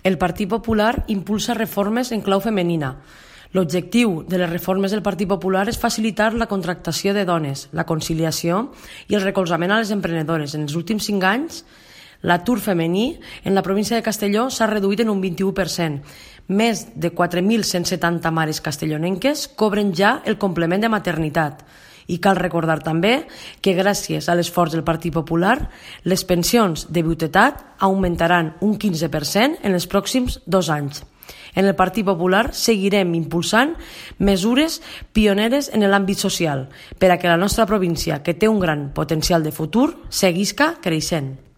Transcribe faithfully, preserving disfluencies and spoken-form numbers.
el Partit Popular impulsa reformes en clau femenina. L'objectiu de les reformes del Partit Popular és facilitar la contractació de dones, la conciliació i el recolzament a les emprenedores. En els últims cinc anys, l'atur femení en la província de Castelló s'ha reduït en un vint-i-u per cent. Més de quatre mil cent setanta mares castellonenques cobren ja el complement de maternitat. I cal recordar també que gràcies a l'esforç del Partit Popular, les pensions de viudetat augmentaran un quinze per cent en els pròxims dos anys. En el Partit Popular seguirem impulsant mesures pioneres en l'àmbit social per a que la nostra província, que té un gran potencial de futur, seguisca creixent.